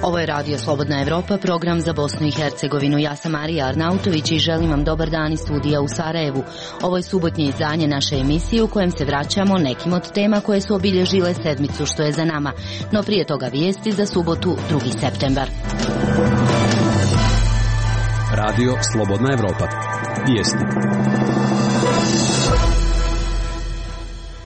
Ovo je Radio Slobodna Evropa, program za Bosnu i Hercegovinu. Ja sam Marija Arnautović i želim vam dobar dan iz studija u Sarajevu. Ovo je subotnje izdanje naše emisije u kojem se vraćamo nekim od tema koje su obilježile sedmicu što je za nama. No prije toga vijesti za subotu 2. septembar. Radio Slobodna Evropa. Vijesti.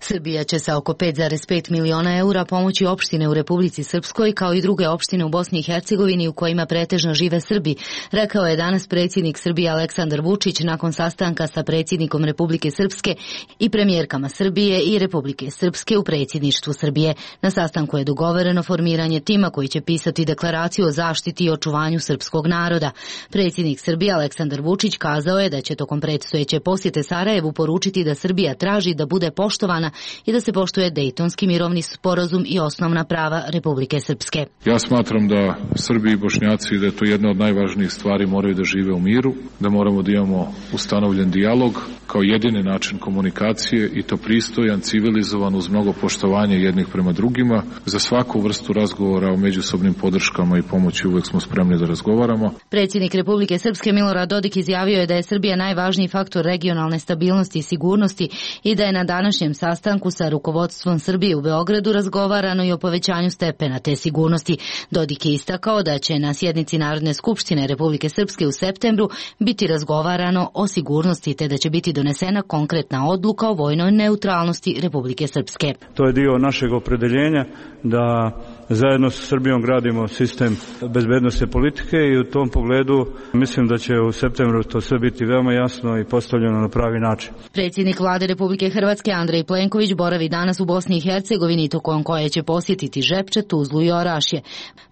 Srbija će sa oko 5,5 miliona eura pomoći opštine u Republici Srpskoj kao i druge opštine u Bosni i Hercegovini u kojima pretežno žive Srbi, rekao je danas predsjednik Srbije Aleksandar Vučić nakon sastanka sa predsjednikom Republike Srpske i premijerkama Srbije i Republike Srpske u predsjedništvu Srbije. Na sastanku je dogovoreno formiranje tima koji će pisati deklaraciju o zaštiti i očuvanju srpskog naroda. Predsjednik Srbije Aleksandar Vučić kazao je da će tokom predstojeće posjete Sarajevu poručiti da Srbija traži da bude poštovana i da se poštuje Dejtonski mirovni sporazum i osnovna prava Republike Srpske. Ja smatram da Srbi i Bošnjaci, da je to jedna od najvažnijih stvari, moraju da žive u miru, da moramo da imamo ustanovljen dijalog kao jedini način komunikacije i to pristojan, civilizovan, uz mnogo poštovanja jednih prema drugima. Za svaku vrstu razgovora o međusobnim podrškama i pomoći uvek smo spremni da razgovaramo. Predsjednik Republike Srpske Milorad Dodik izjavio je da je Srbija najvažniji faktor regionalne stabilnosti i sigurnosti i da je na današnjem sastanku sa rukovodstvom Srbije u Beogradu razgovarano i o povećanju stepena te sigurnosti. Dodik je istakao da će na sjednici Narodne skupštine Republike Srpske u septembru biti razgovarano o sigurnosti te da će biti donesena konkretna odluka o vojnoj neutralnosti Republike Srpske. To je dio našeg opredeljenja da zajedno sa Srbijom gradimo sistem bezbednosne politike i u tom pogledu mislim da će u septembru to sve biti veoma jasno i postavljeno na pravi način. Predsjednik Vlade Republike Hrvatske Andrej Plenković boravi danas u Bosni i Hercegovini tokom koje će posjetiti Žepče, Tuzlu i Orašje.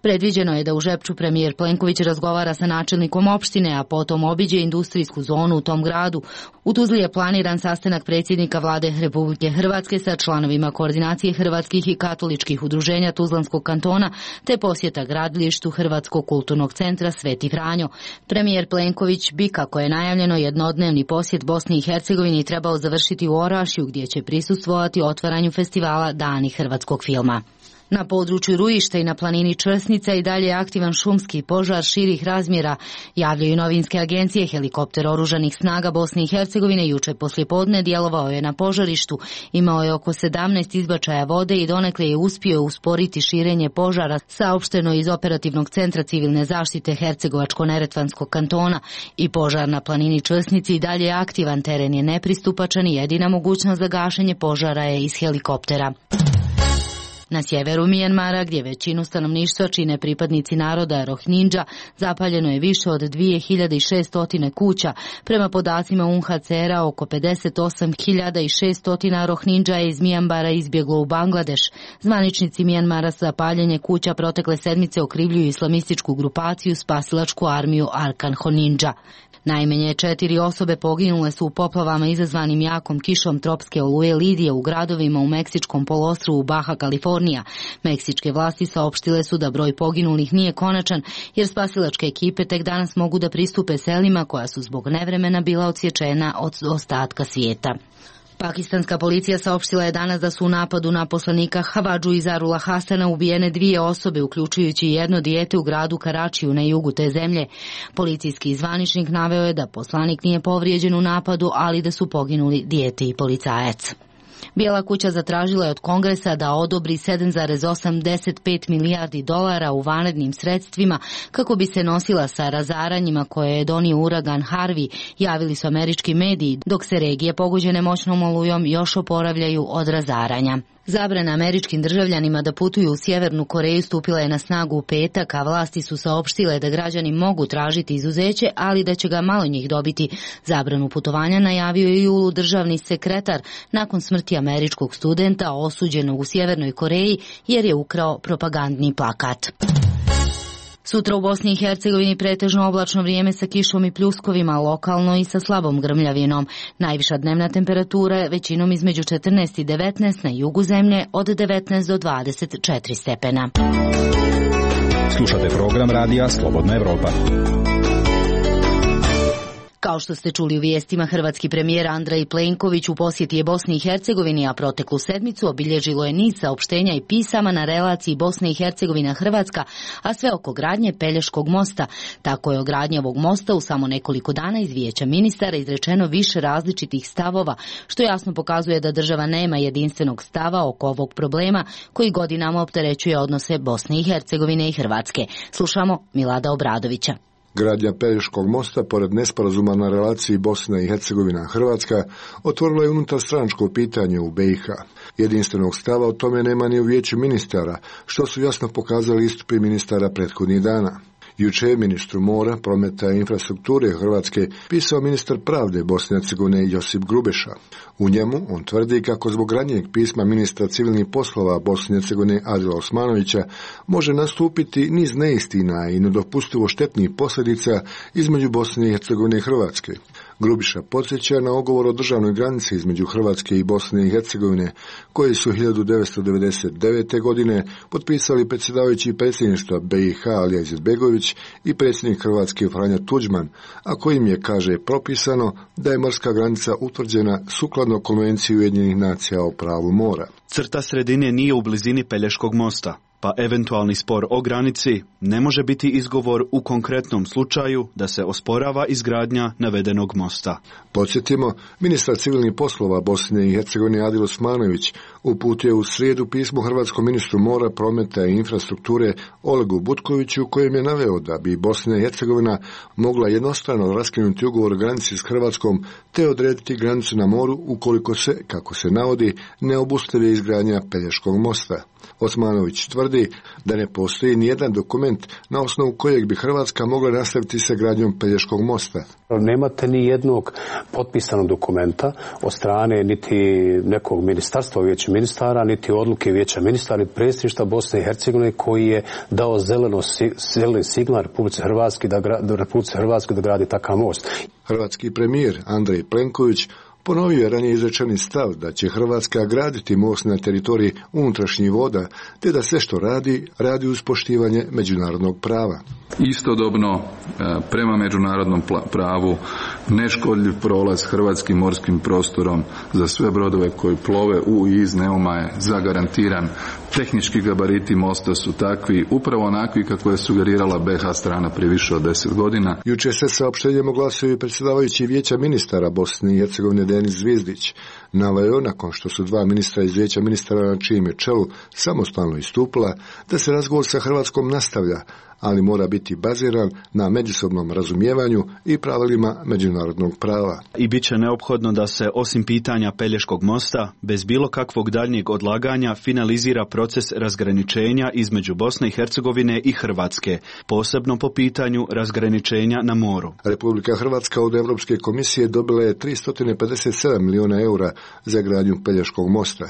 Predviđeno je da u Žepču premijer Plenković razgovara sa načelnikom opštine, a potom obiđe industrijsku zonu u tom gradu. U Tuzli je planiran sastanak predsjednika Vlade Republike Hrvatske sa članovima koordinacije hrvatskih i katoličkih udruženja Tuzlanskog kantona, te posjeta gradilištu Hrvatskog kulturnog centra Sveti Franjo. Premijer Plenković bi, kako je najavljeno, jednodnevni posjet Bosni i Hercegovini trebao završiti u Orašju, gdje će prisustvovati otvaranju festivala Dani hrvatskog filma. Na području Rujišta i na planini Črsnica i dalje je aktivan šumski požar širih razmjera, javljaju novinske agencije. Helikopter oružanih snaga Bosne i Hercegovine juče poslijepodne djelovao je na požarištu, imao je oko 17 izbačaja vode i donekle je uspio usporiti širenje požara, saopšteno iz operativnog centra civilne zaštite Hercegovačko-Neretvanskog kantona. I požar na planini Črsnici i dalje je aktivan, teren je nepristupačan i jedina mogućnost za gašenje požara je iz helikoptera. Na sjeveru Mijanmara, gdje većinu stanovništva čine pripadnici naroda Rohingya, zapaljeno je više od 2600 kuća. Prema podacima UNHCR-a, oko 58.600 Rohingya je iz Mijanmara izbjeglo u Bangladeš. Zvaničnici Mijanmara za paljenje kuća protekle sedmice okrivljuju islamističku grupaciju Spasilačku armiju Arkan Honindža. Najmanje 4 osobe poginule su u poplavama izazvanim jakom kišom tropske oluje Lidije u gradovima u meksičkom poluostrvu Baja Kalifornija. Meksičke vlasti saopštile su da broj poginulih nije konačan, jer spasilačke ekipe tek danas mogu da pristupe selima koja su zbog nevremena bila odsječena od ostatka svijeta. Pakistanska policija saopštila je danas da su u napadu na poslanika Havadžu Izarula Hasana ubijene 2 osobe, uključujući jedno dijete u gradu Karačiju na jugu te zemlje. Policijski zvaničnik naveo je da poslanik nije povrijeđen u napadu, ali da su poginuli dijete i policajac. Bijela kuća zatražila je od Kongresa da odobri 7,85 milijardi dolara u vanrednim sredstvima kako bi se nosila sa razaranjima koje je donio uragan Harvey, javili su američki mediji, dok se regije pogođene moćnom olujom još oporavljaju od razaranja. Zabrana američkim državljanima da putuju u Sjevernu Koreju stupila je na snagu u petak, a vlasti su saopštile da građani mogu tražiti izuzeće, ali da će ga malo njih dobiti. Zabranu putovanja najavio je u julu državni sekretar nakon smrti američkog studenta osuđenog u Sjevernoj Koreji jer je ukrao propagandni plakat. Sutra u Bosni i Hercegovini pretežno oblačno vrijeme sa kišom i pljuskovima, lokalno i sa slabom grmljavinom. Najviša dnevna temperatura je većinom između 14 i 19, na jugu zemlje od 19 do 24 stepena. Slušate program radija Slobodna Evropa. Kao Kao što ste čuli u vijestima, hrvatski premijer Andrej Plenković u posjeti je Bosni i Hercegovini, a proteklu sedmicu obilježilo je niz saopštenja i pisama na relaciji Bosne i Hercegovina-Hrvatska, a sve oko gradnje Pelješkog mosta. Tako je o gradnji ovog mosta u samo nekoliko dana iz Vijeća ministara izrečeno više različitih stavova, što jasno pokazuje da država nema jedinstvenog stava oko ovog problema koji godinama opterećuje odnose Bosne i Hercegovine i Hrvatske. Slušamo Milada Obradovića. Gradnja Pelješkog mosta, pored nesporazuma na relaciji Bosna i Hercegovina-Hrvatska, otvorila je unutarstranačko pitanje u BiH. Jedinstvenog stava o tome nema ni u Vijeću ministara, što su jasno pokazali istupi ministara prethodnih dana. Juče je ministru mora, prometa i infrastrukture Hrvatske pisao ministar pravde Bosne i Hercegovine Josip Grubeša. U njemu on tvrdi kako zbog ranijeg pisma ministra civilnih poslova Bosne i Hercegovine Adila Osmanovića može nastupiti niz neistina i nedopustivo štetnih posljedica između Bosne i Hercegovine i Hrvatske. Grubiša podsjeća na ugovor o državnoj granici između Hrvatske i Bosne i Hercegovine, koji su 1999. godine potpisali predsjedavajući predsjedništva BiH Alija Izetbegović i predsjednik Hrvatske Franja Tuđman, a kojim je, kaže, propisano da je morska granica utvrđena sukladno Konvenciji Ujedinjenih nacija o pravu mora. Crta sredine nije u blizini Pelješkog mosta, pa eventualni spor o granici ne može biti izgovor u konkretnom slučaju da se osporava izgradnja navedenog mosta. Podsjetimo, ministar civilnih poslova Bosne i Hercegovine Adil Osmanović uputio u srijedu pismo hrvatskom ministru mora, prometa i infrastrukture Olegu Butkoviću, kojem je naveo da bi Bosna i Hercegovina mogla jednostrano raskinuti ugovor o granici s Hrvatskom te odrediti granicu na moru ukoliko se, kako se navodi, ne obustavi izgradnja Pelješkog mosta. Osmanović tvrdi da ne postoji nijedan dokument na osnovu kojeg bi Hrvatska mogla nastaviti sa gradnjom Pelješkog mosta. Nemate ni jednog potpisanog dokumenta od strane niti nekog ministarstva, Vijeća ministara, niti odluke Vijeća ministara, niti predsjedništva Bosne i Hercegovine koji je dao zeleni signal Republici Hrvatskoj da gradi takav most. Hrvatski premijer Andrej Plenković ponovio je ranije izrečeni stav da će Hrvatska graditi most na teritoriji unutrašnjih voda, te da sve što radi uz poštivanje međunarodnog prava. Istodobno, prema međunarodnom pravu, neškodljiv prolaz hrvatskim morskim prostorom za sve brodove koji plove u i iz Neuma je zagarantiran. Tehnički gabariti mosta su takvi, upravo onakvi kako je sugerirala BiH strana prije više od 10 godina. Juče se saopštenjem oglasio i predsjedavajući Vijeća ministara Bosne i Hercegovine Denis Zvizdić. Naveo, nakon što su dva ministra iz Vijeća ministara na čijem je čelu samostalno istupila, da se razgovor sa Hrvatskom nastavlja, ali mora biti baziran na međusobnom razumijevanju i pravilima međunarodnog prava. I bit će neophodno da se, osim pitanja Pelješkog mosta, bez bilo kakvog daljnjeg odlaganja finalizira proces razgraničenja između Bosne i Hercegovine i Hrvatske, posebno po pitanju razgraničenja na moru. Republika Hrvatska od Europske komisije dobila je 357 milijuna eura za gradnju Pelješkog mosta.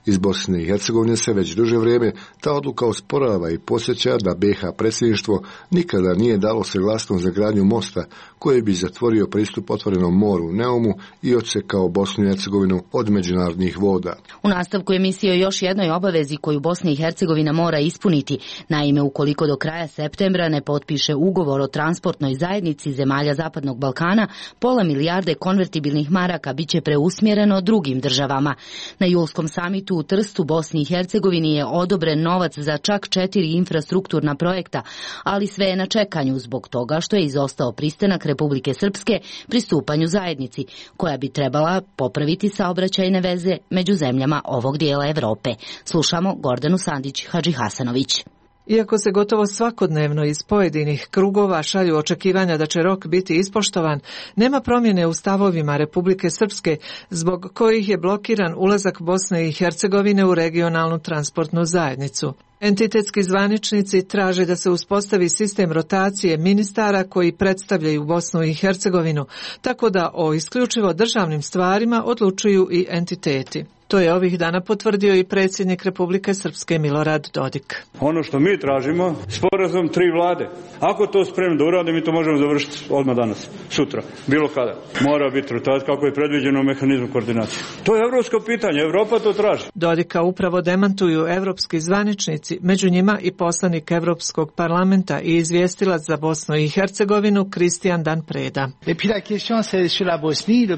Iz Bosne i Hercegovine se već duže vrijeme ta odluka osporava i podsjeća da BiH predsjedništvo nikada nije dalo saglasnost za gradnju mosta koji bi zatvorio pristup otvorenom moru Neumu i odsekao Bosnu i Hercegovinu od međunarodnih voda. U nastavku emisije o još jednoj obavezi koju Bosna i Hercegovina mora ispuniti. Naime, ukoliko do kraja septembra ne potpiše ugovor o transportnoj zajednici zemalja Zapadnog Balkana, pola milijarde konvertibilnih maraka bit će preusmjereno drugim državama. Na julskom samitu u Trstu, Bosni i Hercegovini je odobren novac za čak 4 infrastrukturna projekta, ali sve je na čekanju zbog toga što je izostao pristanak Republike Srpske pristupanju zajednici, koja bi trebala popraviti saobraćajne veze među zemljama ovog dijela Europe. Slušamo Gordanu Sandić Hadžihasanović. Iako se gotovo svakodnevno iz pojedinih krugova šalju očekivanja da će rok biti ispoštovan, nema promjene u stavovima Republike Srpske, zbog kojih je blokiran ulazak Bosne i Hercegovine u regionalnu transportnu zajednicu. Entitetski zvaničnici traže da se uspostavi sistem rotacije ministara koji predstavljaju Bosnu i Hercegovinu, tako da o isključivo državnim stvarima odlučuju i entiteti. To je ovih dana potvrdio i predsjednik Republike Srpske Milorad Dodik. Ono što mi tražimo, sporazum 3 vlade. Ako to spremno da urade, mi to možemo završiti odmah danas, sutra, bilo kada. Mora biti rotacija kako je predviđeno u mehanizmu koordinacije. To je evropsko pitanje, Evropa to traži. Dodika upravo demantuju evropski zvaničnici zastupnici, među njima i poslanik Evropskog parlamenta i izvjestilac za Bosnu i Hercegovinu Kristijan Dan Preda.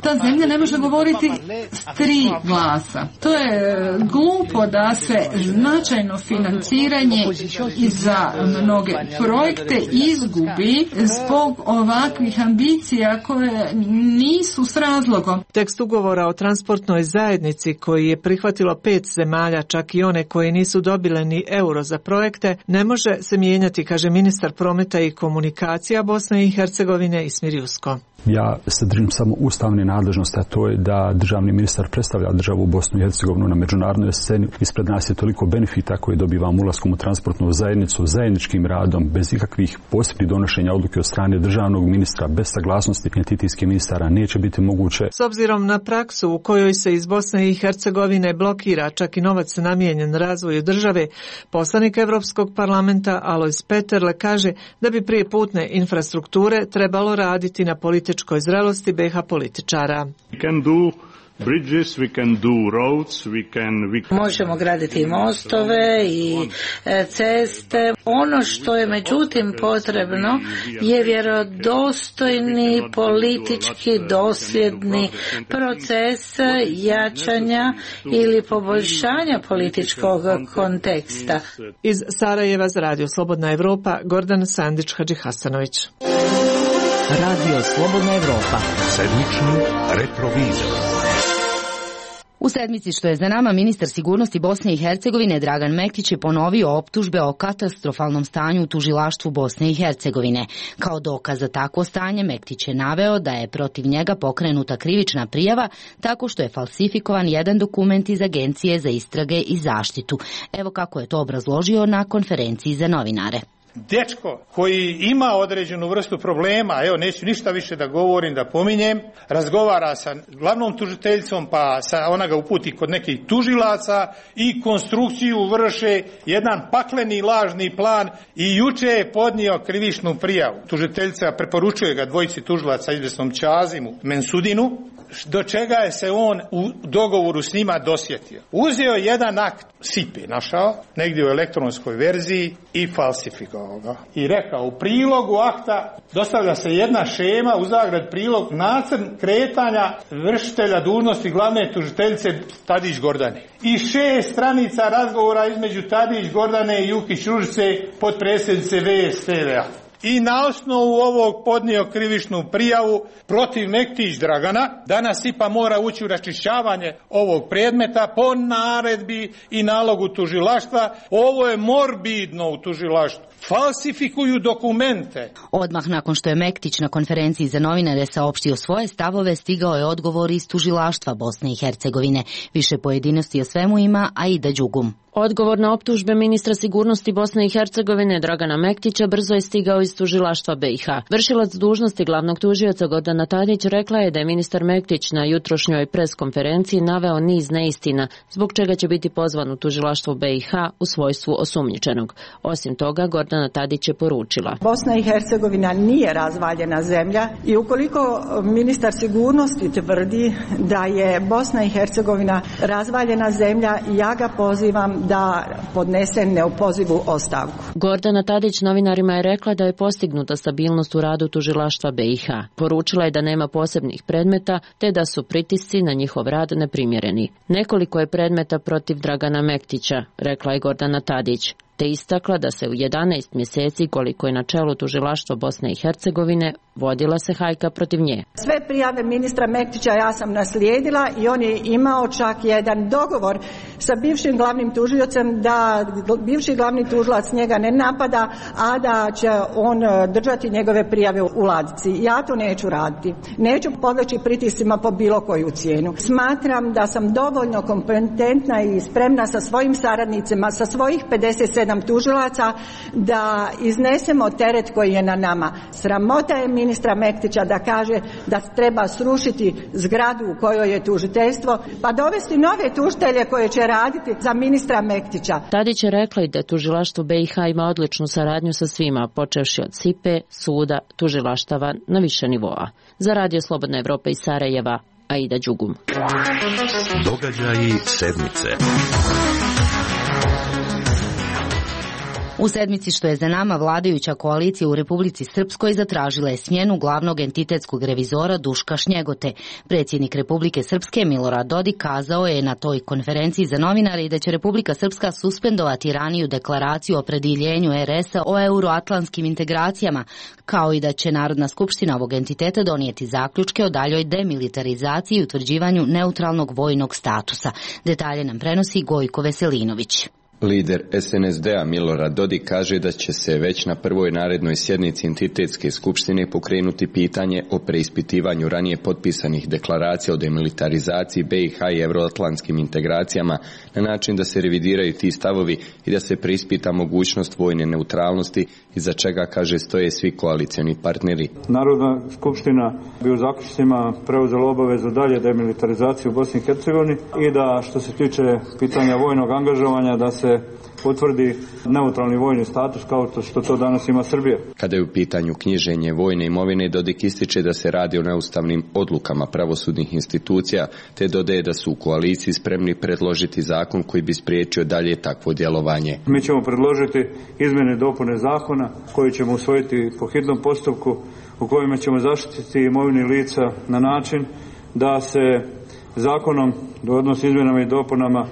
Ta zemlja ne može govoriti s 3 glasa. To je glupo da se značajno financiranje za mnoge projekte izgubi zbog ovakvih ambicija koje nisu s razlogom. Tekst ugovora o transportnoj zajednici koji je prihvatilo 5 zemalja, čak i one koje nisu dobile ni euro za projekte, ne može se mijenjati, kaže ministar prometa i komunikacija Bosne i Hercegovine Ismir Jusko. Ja se držim samo ustavne nadležnosti, a to je da državni ministar predstavlja državu Bosnu i Hercegovinu na međunarodnoj sceni. Ispred nas je toliko benefita koje dobivamo ulaskom u transportnu zajednicu, zajedničkim radom, bez ikakvih posebnih donošenja odluke od strane državnog ministra, bez saglasnosti entitijskih ministara neće biti moguće. S obzirom na praksu u kojoj se iz Bosne i Hercegovine blokira čak i novac namijenjen razvoju države, poslanik Evropskog parlamenta Alojz Peterle kaže da bi prije putne infrastrukture trebalo raditi na političkoj zrelosti BiH političara. Možemo graditi mostove i ceste. Ono što je međutim potrebno je vjerodostojni politički dosljedni proces jačanja ili poboljšanja političkog konteksta. Iz Sarajeva za Radio Slobodna Evropa, Gordan Sandić Hadžihasanović. Radio Slobodna Evropa. Sedmični retrovizor. U sedmici što je za nama, ministar sigurnosti Bosne i Hercegovine Dragan Mektić je ponovio optužbe o katastrofalnom stanju u tužilaštvu Bosne i Hercegovine. Kao dokaz za takvo stanje Mektić je naveo da je protiv njega pokrenuta krivična prijava tako što je falsifikovan jedan dokument iz Agencije za istrage i zaštitu. Evo kako je to obrazložio na konferenciji za novinare. Dečko koji ima određenu vrstu problema, evo neću ništa više da govorim, da pominjem, razgovara sa glavnom tužiteljicom, pa ona ga uputi kod nekih tužilaca i konstrukciju vrše jedan pakleni lažni plan i juče je podnio krivičnu prijavu. Tužiteljica preporučuje ga dvojici tužilaca, izvjesnom Čazimu Mensudinu, do čega je se on u dogovoru s njima dosjetio. Uzeo jedan akt SIPE, našao, negdje u elektronskoj verziji i falsifikovao ga. I rekao, u prilogu akta dostavlja se jedna šema, u zagrad prilog, nacrt kretanja vršitelja dužnosti glavne tužiteljice Tadić Gordane. I 6 stranica razgovora između Tadić Gordane i Jukić Ružice, potpredsjednice VSTV-a. I na osnovu ovog podnio krivičnu prijavu protiv Mektić Dragana. Danas IPA mora ući u raščišćavanje ovog predmeta po naredbi i nalogu tužilaštva. Ovo je morbidno u tužilaštvu. Falsifikuju dokumente. Odmah nakon što je Mektić na konferenciji za novinare saopštio svoje stavove, stigao je odgovor iz tužilaštva Bosne i Hercegovine. Više pojedinosti o svemu ima Aida Đugum. Odgovor na optužbe ministra sigurnosti Bosne i Hercegovine Dragana Mektića brzo je stigao iz tužilaštva BiH. Vršilac dužnosti glavnog tužioca Gordana Tadić rekla je da je ministar Mektić na jutrošnjoj pres konferenciji naveo niz neistina, zbog čega će biti pozvan u tužilaštvo BiH u svojstvu osumnjičenog. Osim toga, Gordana Tadić je poručila: Bosna i Hercegovina nije razvaljena zemlja i ukoliko ministar sigurnosti tvrdi da je Bosna i Hercegovina razvaljena zemlja, ja ga pozivam da podnese neopozivu ostavku. Gordana Tadić novinarima je rekla da je postignuta stabilnost u radu tužilaštva BiH. Poručila je da nema posebnih predmeta, te da su pritisci na njihov rad neprimjereni. Nekoliko je predmeta protiv Dragana Mektića, rekla je Gordana Tadić, te istakla da se u 11 mjeseci koliko je na čelu tužilaštva Bosne i Hercegovine vodila se hajka protiv nje. Sve prijave ministra Mektića ja sam naslijedila i on je imao čak jedan dogovor sa bivšim glavnim tužiocem da bivši glavni tužilac njega ne napada, a da će on držati njegove prijave u ladici. Ja to neću raditi. Neću podleći pritiscima po bilo koju cijenu. Smatram da sam dovoljno kompetentna i spremna sa svojim saradnicima, sa svojih 57 tužilaca da iznesemo teret koji je na nama. Sramota je ministra Mektića da kaže da treba srušiti zgradu u kojoj je tužiteljstvo, pa dovesti nove tužitelje koje će raditi za ministra Mektića. Tadić je rekla i da tužilaštvo BiH ima odličnu saradnju sa svima, počevši od SIPE, suda, tužilaštava na više nivoa. Za Radio Slobodna Evropa iz Sarajeva, Aida Đugum. Događaji sedmice. U sedmici što je za nama, vladajuća koalicija u Republici Srpskoj zatražila je smjenu glavnog entitetskog revizora Duška Šnjegote. Predsjednik Republike Srpske Milorad Dodik kazao je na toj konferenciji za novinare i da će Republika Srpska suspendovati raniju deklaraciju o opredjeljenju RS-a o euroatlantskim integracijama, kao i da će Narodna skupština ovog entiteta donijeti zaključke o daljoj demilitarizaciji i utvrđivanju neutralnog vojnog statusa. Detalje nam prenosi Gojko Veselinović. Lider SNSD-a Milorad Dodik kaže da će se već na prvoj narednoj sjednici entitetske skupštine pokrenuti pitanje o preispitivanju ranije potpisanih deklaracija o demilitarizaciji BiH i euroatlantskim integracijama na način da se revidiraju ti stavovi i da se preispita mogućnost vojne neutralnosti iza čega, kaže, stoje svi koalicioni partneri. Narodna skupština bi u zaključcima preuzela obavezu dalje demilitarizaciju u Bosni i Hercegovini i da što se tiče pitanja vojnog angažovanja da se potvrdi neutralni vojni status kao što to danas ima Srbija. Kada je u pitanju knjiženje vojne imovine, Dodik ističe da se radi o neustavnim odlukama pravosudnih institucija, te dodaje da su u koaliciji spremni predložiti zakon koji bi spriječio dalje takvo djelovanje. Mi ćemo predložiti izmjene i dopune zakona koji ćemo usvojiti po hitnom postupku u kojima ćemo zaštititi imovine lica na način da se zakonom, odnosno izmjenama i dopunama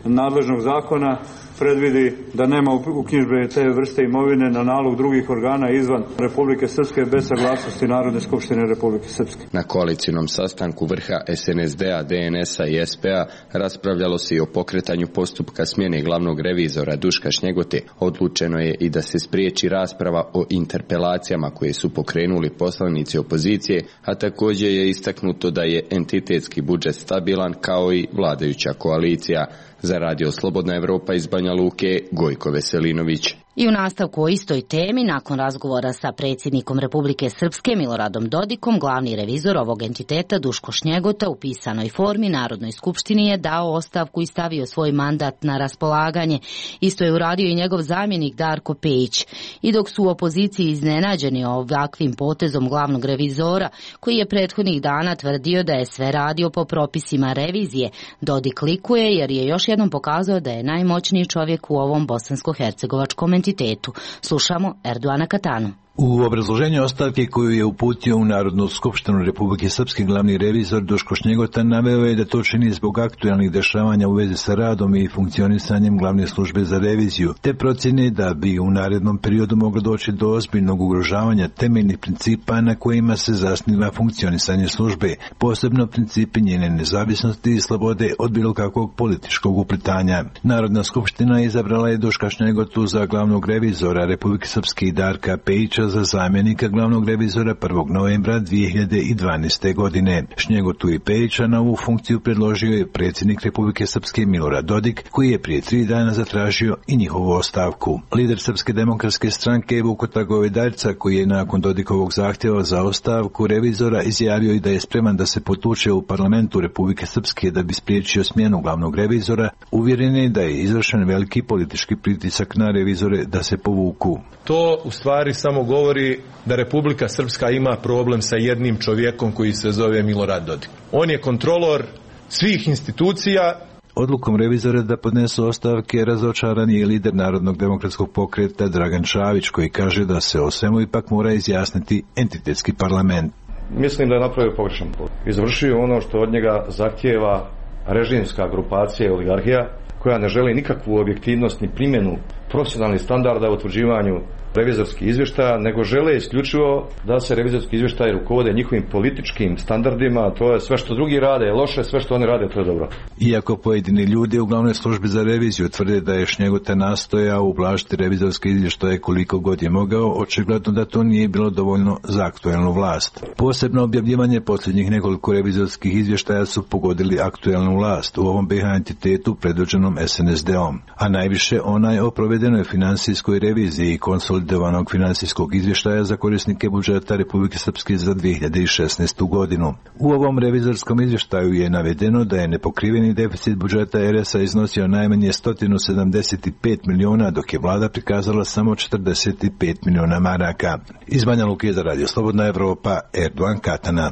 nadležnog zakona, predvidi da nema uknjižbe te vrste imovine na nalog drugih organa izvan Republike Srpske bez saglasnosti Narodne skupštine Republike Srpske. Na koalicijnom sastanku vrha SNSD-a, DNS-a i SP-a raspravljalo se i o pokretanju postupka smjene glavnog revizora Duška Šnjegote. Odlučeno je i da se spriječi rasprava o interpelacijama koje su pokrenuli poslanici opozicije, a također je istaknuto da je entitetski budžet stabilan kao i vladajuća koalicija. Za Radio Slobodna Evropa iz Banja Luke, Gojko Veselinović. I u nastavku o istoj temi, nakon razgovora sa predsjednikom Republike Srpske Miloradom Dodikom, glavni revizor ovog entiteta Duško Šnjegota u pisanoj formi Narodnoj skupštini je dao ostavku i stavio svoj mandat na raspolaganje. Isto je uradio i njegov zamjenik Darko Pejić. I dok su u opoziciji iznenađeni ovakvim potezom glavnog revizora, koji je prethodnih dana tvrdio da je sve radio po propisima revizije, Dodik likuje jer je još jednom pokazao da je najmoćniji čovjek u ovom bosansko-hercegovačkom entitetu. Slušamo Erdoana Katanu. U obrazloženju ostavke koju je uputio u Narodnu skupštinu Republike Srpske glavni revizor Duško Šnjegota naveo je da to čini zbog aktualnih dešavanja u vezi sa radom i funkcionisanjem glavne službe za reviziju, te procjene da bi u narednom periodu moglo doći do ozbiljnog ugrožavanja temeljnih principa na kojima se zasniva funkcionisanje službe, posebno principi njene nezavisnosti i slobode od bilo kakvog političkog uplitanja. Narodna skupština izabrala je Duška Šnjegotu za glavnog revizora Republike Srpske i Darka Pejića za zamjenika glavnog revizora 1. novembra 2012. godine. Šnjegotu i Pejića na ovu funkciju predložio je predsjednik Republike Srpske Milorad Dodik, koji je prije 3 dana zatražio i njihovu ostavku. Lider Srpske demokratske stranke Vukota Govedaljca, koji je nakon Dodikovog zahtjeva za ostavku revizora izjavio i da je spreman da se potuče u parlamentu Republike Srpske da bi spriječio smjenu glavnog revizora, uvjeren je da je izvršen veliki politički pritisak na revizore da se povuku. To u stvari samo govori da Republika Srpska ima problem sa jednim čovjekom koji se zove Milorad Dodik. On je kontrolor svih institucija. Odlukom revizora da podnesu ostavke razočaran je lider Narodnog demokratskog pokreta Dragan Čavić, koji kaže da se o svemu ipak mora izjasniti entitetski parlament. Mislim da je napravio pogrešan put. Izvršio ono što od njega zahtijeva režimska grupacija i oligarhija, koja ne želi nikakvu objektivnost ni primjenu profesionalnih standarda u utvrđivanju revizorskih izvještaja, nego žele isključivo da se revizorski izvještaji rukovode njihovim političkim standardima, to je sve što drugi rade je loše, sve što oni rade to je dobro. Iako pojedini ljudi u glavnoj službi za reviziju tvrde da je Šnjegota nastojao ublažiti revizorske izvještaje koliko god je mogao, očigledno da to nije bilo dovoljno za aktuelnu vlast. Posebno objavljivanje posljednjih nekoliko revizorskih izvještaja su pogodili aktuelnu vlast u ovom BiH entitetu predvođenom SNSD-om, a najviše onaj o provedenoj financijskoj reviziji i konsolidovanog financijskog izvještaja za korisnike budžeta Republike Srpske za 2016. godinu. U ovom revizorskom izvještaju je navedeno da je nepokriveni deficit budžeta RS-a iznosio najmanje 175 miliona, dok je vlada prikazala samo 45 miliona maraka. Iz Banja Luke za Radio Slobodna Evropa, Erdoan Katana.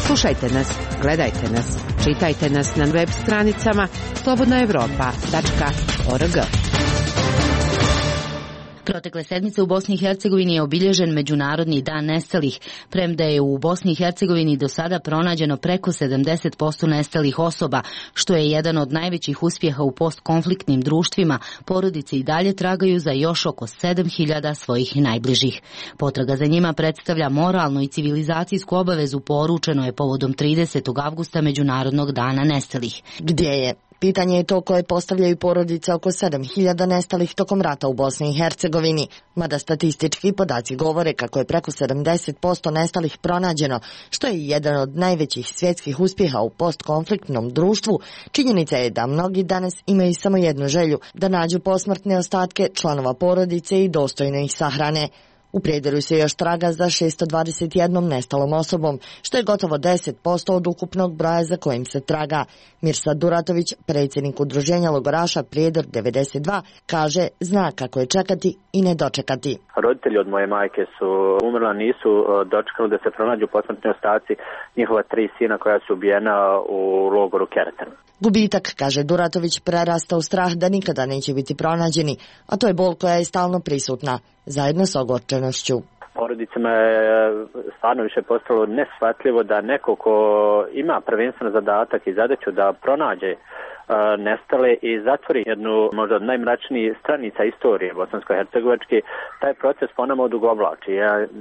Slušajte nas, gledajte nas, čitajte nas na web stranicama slobodnaevropa.org. Protekle sedmice u Bosni i Hercegovini je obilježen Međunarodni dan nestalih, premda je u Bosni i Hercegovini do sada pronađeno preko 70% nestalih osoba, što je jedan od najvećih uspjeha u postkonfliktnim društvima. Porodice i dalje tragaju za još oko 7.000 svojih najbližih. Potraga za njima predstavlja moralnu i civilizacijsku obavezu, poručeno je povodom 30. avgusta Međunarodnog dana nestalih. Gdje je? Pitanje je to koje postavljaju porodice oko 7.000 nestalih tokom rata u Bosni i Hercegovini, mada statistički podaci govore kako je preko 70% nestalih pronađeno, što je jedan od najvećih svjetskih uspjeha u postkonfliktnom društvu. Činjenica je da mnogi danas imaju samo jednu želju, da nađu posmrtne ostatke članova porodice i dostojno ih sahrane. U Prijedoru se još traga za 621 nestalom osobom, što je gotovo 10% od ukupnog broja za kojim se traga. Mirsad Duratović, predsjednik udruženja logoraša Prijedor 92, kaže zna kako je čekati i ne dočekati. Roditelji od moje majke su umrla, nisu dočekali da se pronađu posmrtni ostaci njihova 3 sina koja su ubijena u logoru Keretan. Gubitak, kaže Duratović, prerasta u strah da nikada neće biti pronađeni, a to je bol koja je stalno prisutna, zajedno s ogorčenošću. Porodicama je stvarno više postalo neshvatljivo da neko ko ima prvenstveno zadatak i zadaću da pronađe nestale i zatvori jednu možda od najmračnijih stranica istorije bosansko-hercegovačke, taj proces po nama odugovlači.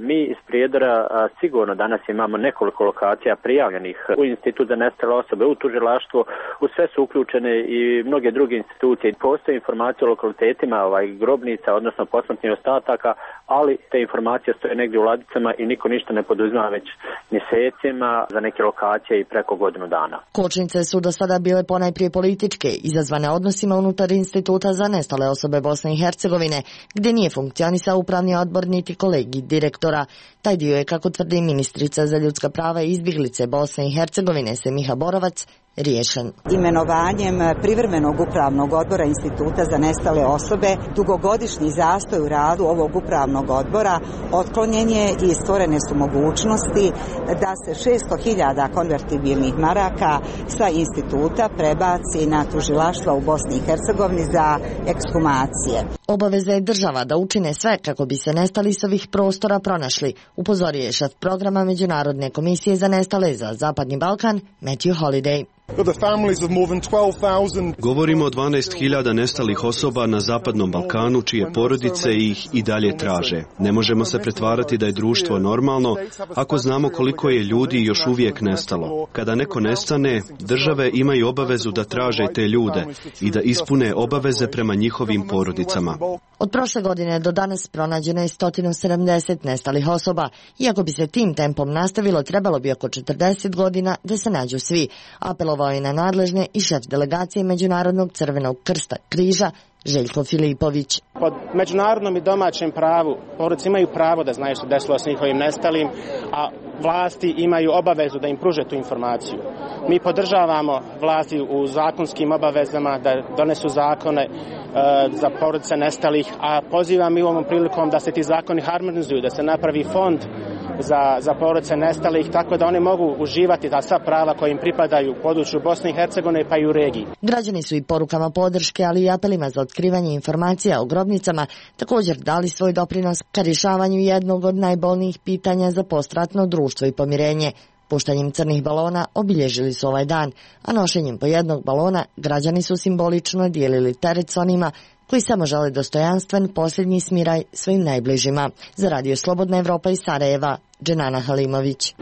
Mi iz Prijedora sigurno danas imamo nekoliko lokacija prijavljenih u Institut za nestale osobe, u tužilaštvo, u sve su uključene i mnoge druge institucije. Postoje informacije o lokalitetima grobnica, odnosno posmrtnih ostataka, ali te informacije stoje negdje u ladicama i niko ništa ne poduzima već mjesecima, za neke lokacije i preko godinu dana. Kočnice su do sada bile ponajprije političke, izazvane odnosima unutar Instituta za nestale osobe Bosne i Hercegovine, gdje nije funkcionisao upravni odbor niti kolegij direktora. Taj dio je, kako tvrdi ministrica za ljudska prava i izbjeglice Bosne i Hercegovine Semiha Borovac, riješen. Imenovanjem privremenog upravnog odbora Instituta za nestale osobe, dugogodišnji zastoj u radu ovog upravnog odbora otklonjen je i stvorene su mogućnosti da se 600.000 konvertibilnih maraka sa instituta prebaci na tužilaštva u Bosni i Hercegovini za ekshumacije. Obaveza je država da učine sve kako bi se nestali s ovih prostora pronašli, upozorio je šef programa Međunarodne komisije za nestale za Zapadni Balkan, Matthew Holiday. Govorimo o 12.000 nestalih osoba na Zapadnom Balkanu, čije porodice ih i dalje traže. Ne možemo se pretvarati da je društvo normalno ako znamo koliko je ljudi još uvijek nestalo. Kada neko nestane, države imaju obavezu da traže te ljude i da ispune obaveze prema njihovim porodicama. Od prošle godine do danas pronađeno je 170 nestalih osoba. Iako bi se tim tempom nastavilo, trebalo bi oko 40 godina da se nađu svi. Apelovao je na nadležne i šef delegacije Međunarodnog crvenog krsta križa Željko Filipović. Po međunarodnom i domaćem pravu porodice imaju pravo da znaju što desilo s njihovim nestalim, a vlasti imaju obavezu da im pruže tu informaciju. Mi podržavamo vlasti u zakonskim obavezama da donesu zakone za porodice nestalih, a pozivam i ovom prilikom da se ti zakoni harmonizuju, da se napravi fond za porodice nestalih, tako da one mogu uživati ta sva prava koja im pripadaju u području Bosne i Hercegovine pa i u regiji. Građani su i porukama podrške, ali i apelima za otkrivanje informacija o grobnicama također dali svoj doprinos ka rješavanju jednog od najbolnijih pitanja za postratno društvo i pomirenje. Puštanjem crnih balona obilježili su ovaj dan, a nošenjem po jednog balona građani su simbolično dijelili teret s onima koji samo žele dostojanstven posljednji smiraj svojim najbližima. Za Radio Slobodna Evropa iz Sarajeva, Dženana Halimović.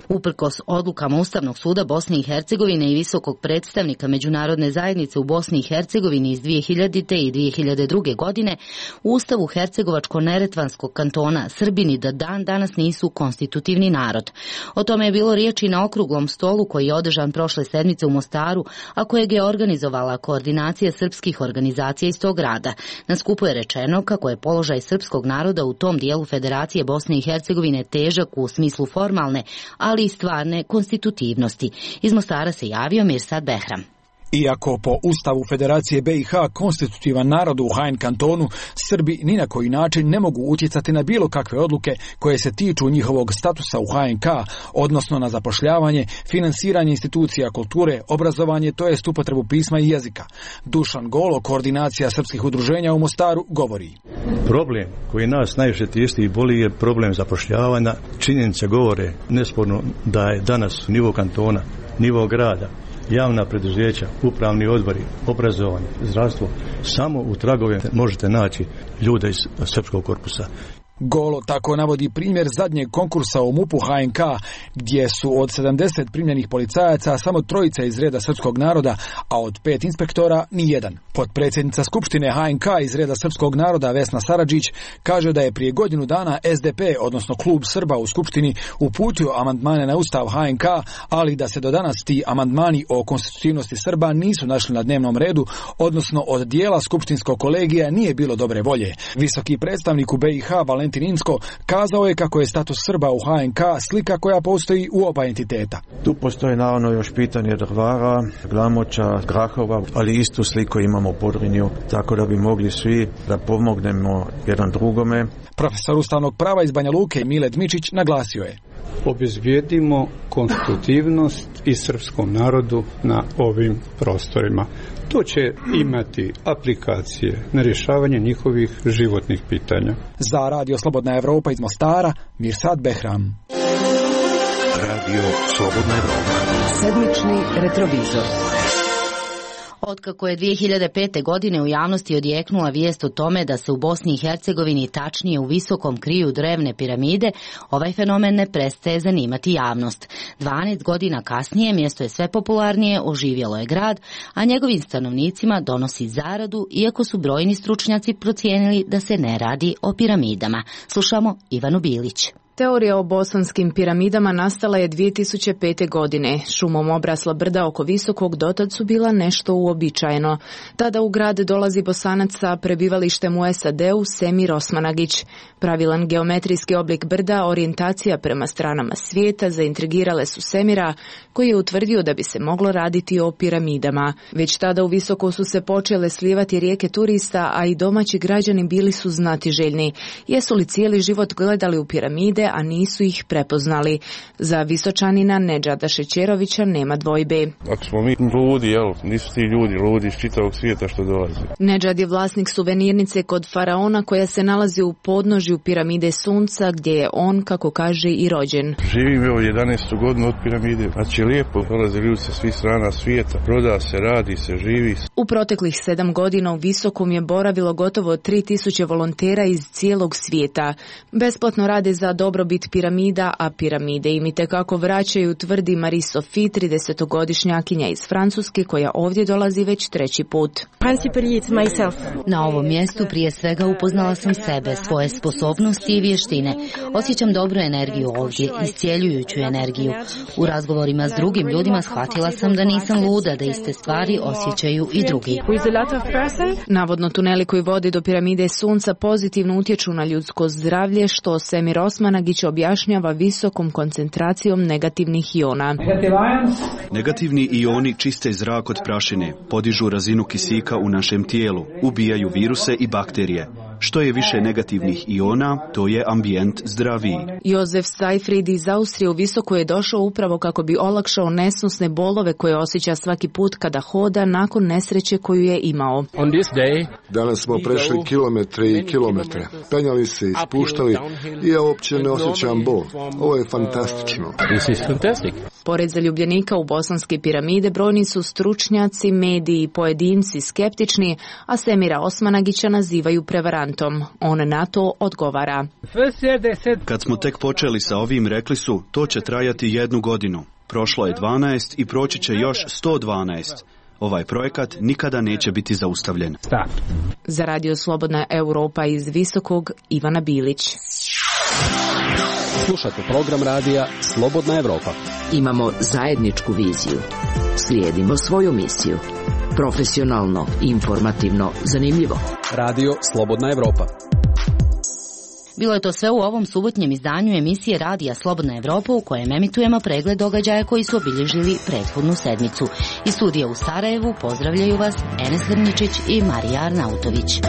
Uprkos odlukama Ustavnog suda Bosne i Hercegovine i visokog predstavnika Međunarodne zajednice u Bosni i Hercegovini iz 2000. i 2002. godine, u Ustavu Hercegovačko-Neretvanskog kantona Srbini do dan danas nisu konstitutivni narod. O tome je bilo riječi na okruglom stolu koji je održan prošle sedmice u Mostaru, a kojeg je organizovala koordinacija srpskih organizacija iz tog grada. Na skupu je rečeno kako je položaj srpskog naroda u tom dijelu Federacije Bosne i Hercegovine težak u smislu formalne, ali i stvarne konstitutivnosti. Iz Mostara se javio Mirsad Behram. Iako po Ustavu Federacije BiH konstitutivan narod u HN kantonu, Srbi ni na koji način ne mogu utjecati na bilo kakve odluke koje se tiču njihovog statusa u HNK, odnosno na zapošljavanje, finansiranje institucija kulture, obrazovanje, to jest upotrebu pisma i jezika. Dušan Golo, koordinacija srpskih udruženja u Mostaru, govori. Problem koji nas najviše tišti i boli je problem zapošljavanja. Činjenice govore nesporno da je danas nivo kantona, nivo grada, javna preduzeća, upravni odbori, obrazovanje, zdravstvo, samo u tragovima možete naći ljude iz srpskog korpusa. Golo tako navodi primjer zadnjeg konkursa u MUP-u HNK, gdje su od 70 primljenih policajaca samo 3 iz reda srpskog naroda, a od 5 inspektora nijedan. Potpredsjednica Skupštine HNK iz reda srpskog naroda Vesna Saradžić kaže da je prije godinu dana SDP, odnosno klub Srba u Skupštini, uputio amandmane na Ustav HNK, ali da se do danas ti amandmani o konstitutivnosti Srba nisu našli na dnevnom redu, odnosno od dijela skupštinskog kolegija nije bilo dobre volje. Visoki predstavnik u BiH Valentin Insko kazao je kako je status Srba u HNK slika koja postoji u oba entiteta. Tu postoji naravno još pitanje Drvara, Glamoča, Grahova, ali istu sliku imamo u Podrinju, tako da bi mogli svi da pomognemo jedan drugome. Profesor ustavnog prava iz Banja Luke Mile Dmičić naglasio je: obezbijedimo konstitutivnost i srpskom narodu na ovim prostorima. To će imati aplikacije na rješavanje njihovih životnih pitanja. Za Radio Slobodna Evropa iz Mostara, Mirsad Behram. Radio Slobodna Evropa. Sedmični retrovizor. Otkako je 2005. godine u javnosti odjeknula vijest o tome da se u Bosni i Hercegovini, tačnije u Visokom, kriju drevne piramide, ovaj fenomen ne prestaje zanimati javnost. 12 godina kasnije mjesto je sve popularnije, oživjelo je grad, a njegovim stanovnicima donosi zaradu, iako su brojni stručnjaci procijenili da se ne radi o piramidama. Slušamo Ivanu Bilić. Teorija o bosanskim piramidama nastala je 2005. godine. Šumom obrasla brda oko Visokog dotad su bila nešto uobičajeno. Tada u grad dolazi Bosanac sa prebivalištem u SAD-u Semir Osmanagić. Pravilan geometrijski oblik brda, orijentacija prema stranama svijeta zaintrigirale su Semira, koji je utvrdio da bi se moglo raditi o piramidama. Već tada u Visoko su se počele slijevati rijeke turista, a i domaći građani bili su znatiželjni. Jesu li cijeli život gledali u piramide, a nisu ih prepoznali? Za Visočanina Nedžada Šećerovića nema dvojbe. Ako smo mi ludi, nisu ti ljudi ludi iz čitavog svijeta što dolaze. Nedžad je vlasnik suvenirnice kod Faraona koja se nalazi u podnožju piramide Sunca, gdje je on, kako kaže, i rođen. Živim 11. godinu od piramide. Znači lijepo, dolaze ljudi sa svih strana svijeta, proda se, radi se, živi se. U proteklih 7 godina u Visokom je boravilo gotovo 3000 volontera iz cijelog svijeta. Besplatno rade za dobrobit piramida, a piramide im itekako vraćaju, tvrdi Marie-Sophie, 30-godišnjakinja iz Francuske, koja ovdje dolazi već 3. put. Na ovom mjestu prije svega upoznala sam sebe, svoje sposobnosti i vještine. Osjećam dobru energiju ovdje, iscijeljujuću energiju. U razgovorima s drugim ljudima shvatila sam da nisam luda, da iste stvari osjećaju i drugi. Navodno tuneli koji vode do piramide Sunca pozitivno utječu na ljudsko zdravlje, što Semir Osmanagić objašnjava visokom koncentracijom negativnih iona. Negativni ioni čiste zrak od prašine, podižu razinu kisika u našem tijelu, ubijaju viruse i bakterije. Što je više negativnih iona, to je ambijent zdraviji. Jozef Seifried iz Austrije u Visoko je došao upravo kako bi olakšao nesnosne bolove koje osjeća svaki put kada hoda nakon nesreće koju je imao. Danas smo prešli kilometre i kilometre, penjali se i spuštali i ja uopće ne osjećam bol. Ovo je fantastično. Pored zaljubljenika u bosanske piramide brojni su stručnjaci, mediji i pojedinci skeptični, a Semira Osmanagića nazivaju prevarantom. On na to odgovara. Kad smo tek počeli sa ovim, rekli su, to će trajati 1 godinu. Prošlo je 12 i proći će još 112. Ovaj projekat nikada neće biti zaustavljen. Za Radio Slobodna Europa iz Visokog, Ivana Bilić. Slušate program radija Slobodna Evropa. Imamo zajedničku viziju. Slijedimo svoju misiju. Profesionalno, informativno, zanimljivo. Radio Slobodna Evropa. Bilo je to sve u ovom subotnjem izdanju emisije Radija Slobodna Evropa u kojem emitujemo pregled događaja koji su obilježili prethodnu sedmicu. Iz studija u Sarajevu pozdravljaju vas Enes Hrničić i Marija Arnautović.